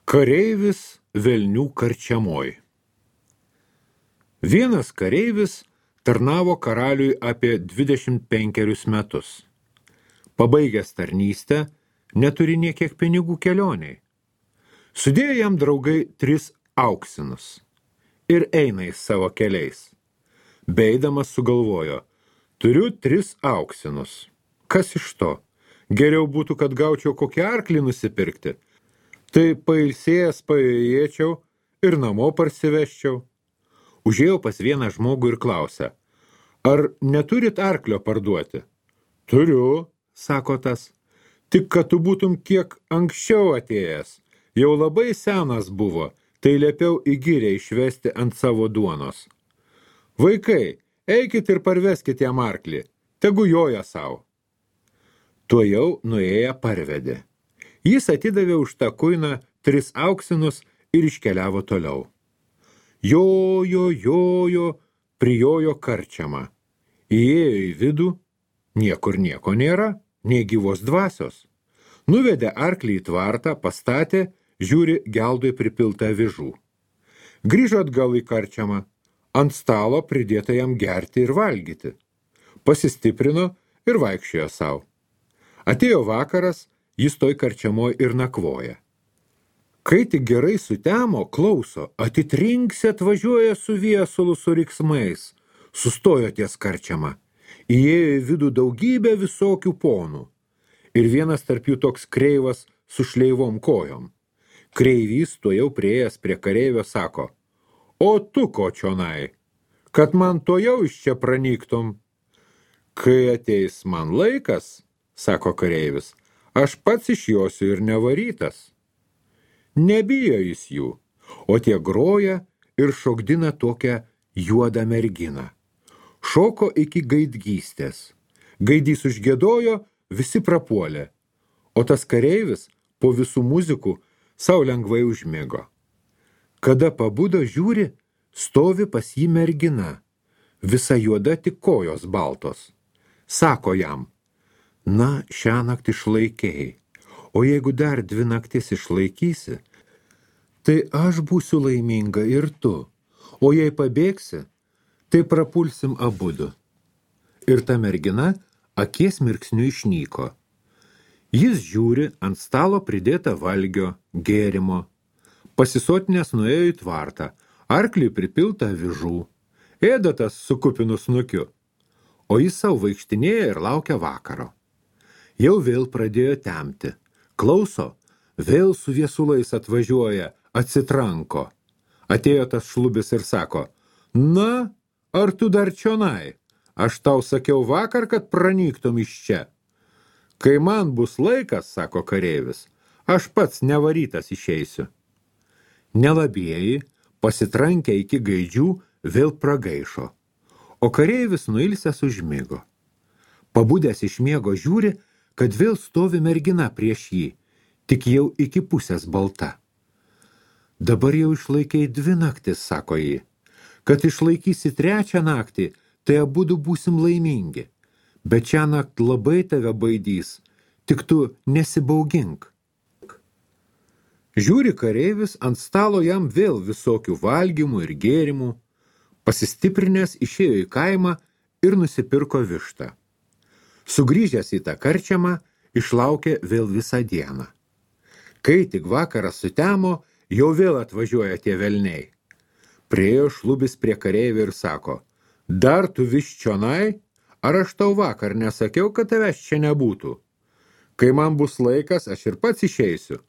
Kareivis velnių karčiamoj. Vienas kareivis tarnavo karaliui apie 25 metus. Pabaigęs tarnystę, neturi niekiek pinigų kelioniai. Sudėjo jam draugai 3 auksinus ir eina į savo keliais. Beidamas sugalvojo, turiu 3 auksinus. Kas iš to? Geriau būtų, kad gaučiau kokį arklį nusipirkti. Tai pailsėjęs paėjėčiau ir namo parsiveščiau. Užėjau pas vieną žmogų ir klausė, ar neturit arklio parduoti? Turiu, sako tas, tik kad tu būtum kiek anksčiau atėjęs. Jau labai senas buvo, tai liepiau į girią išvesti ant savo duonos. Vaikai, eikit ir parveskit jam arklį, tegu joja savo. Tuojau nuėję parvedė. Jis atidavė už tą kuiną 3 auksinus ir iškeliavo toliau. Jojo, prijojo karčiamą. Įėjo į vidų, niekur nieko nėra, nei gyvos dvasios. Nuvedė arklį į tvartą, pastatė, žiūri geldui pripiltą avižų. Grįžo atgal į karčiamą, ant stalo pridėta jam gerti ir valgyti. Pasistiprino ir vaikščiojo savo. Atėjo vakaras, jis toj karčiamoj ir nakvoja. Kai tik gerai sutemo, klauso, atitrinksi atvažiuoja su viesulu su riksmais. Sustojo ties karčiama. Įėjo į vidų daugybę visokių ponų. Ir vienas tarp jų toks kreivas su šleivom kojom. Kreivys tuojau priėjęs prie kareivio sako, o tu ko čionai, kad man tuojau iš čia pranyktum. Kai ateis man laikas, sako kareivis, aš pats išjosiu ir nevarytas. Nebijo jis jų, o tie groja ir šokdina tokią juodą merginą. Šoko iki gaidgystės. Gaidys užgiedojo, visi prapuolė, o tas kareivis po visų muzikų sau lengvai užmigo. Kada pabudo žiūri, stovi pas jį mergina, visa juoda tik kojos baltos. Sako jam, na, šiąnakt išlaikėjai, o jeigu dar 2 naktis išlaikysi, tai aš būsiu laiminga ir tu, o jei pabėgsi, tai prapulsim abudu. Ir ta mergina akies mirksniu išnyko. Jis žiūri ant stalo pridėta valgio, gėrimo. Pasisotinės nuėjo į tvartą, arklį pripilta avižų. Ėdatas su kupinu snukiu, o jis savo vaikštinėja ir laukia vakaro. Jau vėl pradėjo temti. Klauso, vėl su viesulais atvažiuoja, atsitranko. Atėjo tas šlubis ir sako, na, ar tu dar čionai? Aš tau sakiau vakar, kad pranyktum iš čia. Kai man bus laikas, sako kareivis, aš pats nevarytas išeisiu. Nelabieji, pasitrankę iki gaidžių, vėl pragaišo, o kareivis nuilsęs užmigo. Pabudęs iš miego žiūri, kad vėl stovi mergina prieš jį, tik jau iki pusės balta. Dabar jau išlaikei 2 naktis, sako jį. Kad išlaikysi 3 naktį, tai abudu būsim laimingi. Bet šią naktį labai tave baidys, tik tu nesibaugink. Žiūri kareivis, ant stalo jam vėl visokių valgymų ir gėrimų. Pasistiprinęs išėjo į kaimą ir nusipirko vištą. Sugrįžęs į tą karčiamą, išlaukė vėl visą dieną. Kai tik vakaras sutemo, jau vėl atvažiuoja tie velniai. Priėjo šlubis prie kareivio ir sako, dar tu vis čionai, ar aš tau vakar nesakiau, kad tavęs čia nebūtų? Kai man bus laikas, aš ir pats išeisiu,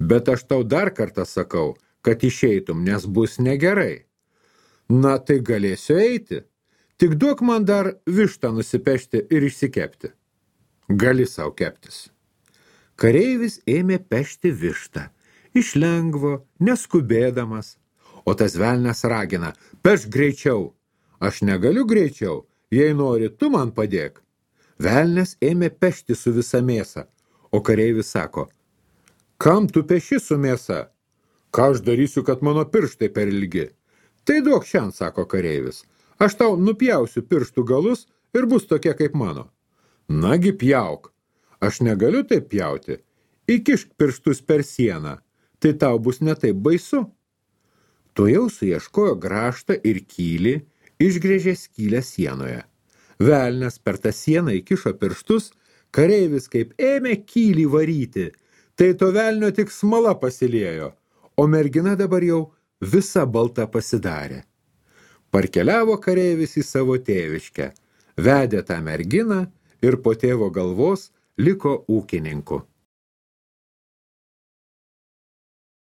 bet aš tau dar kartą sakau, kad išeitum, nes bus negerai. Na, tai galėsiu eiti, tik duok man dar vištą nusipešti ir išsikepti. Gali sau keptis. Kareivis ėmė pešti vištą, iš lengvo, neskubėdamas, o tas velnias ragina, pešk greičiau. Aš negaliu greičiau, jei nori, tu man padėk. Velnias ėmė pešti su visa mėsa, o kareivis sako, kam tu peši su mėsa? Ką aš darysiu, kad mano pirštai per ilgi? Tai duok šiandien, sako kareivis, aš tau nupjausiu pirštų galus ir bus tokie kaip mano. Nagi pjauk, aš negaliu taip pjauti, įkišk pirštus per sieną, tai tau bus ne taip baisu. Tuojau suieškojo grąžtą ir kylį, išgrėžė skylę sienoje. Velnias per tą sieną įkišo pirštus, kareivis kaip ėmė kylį varyti, tai to velnio tik smala pasiliejo, o mergina dabar jau visa balta pasidarė. Parkeliavo kareivis į savo tėviškę, vedė tą merginą ir po tėvo galvos liko ūkininku.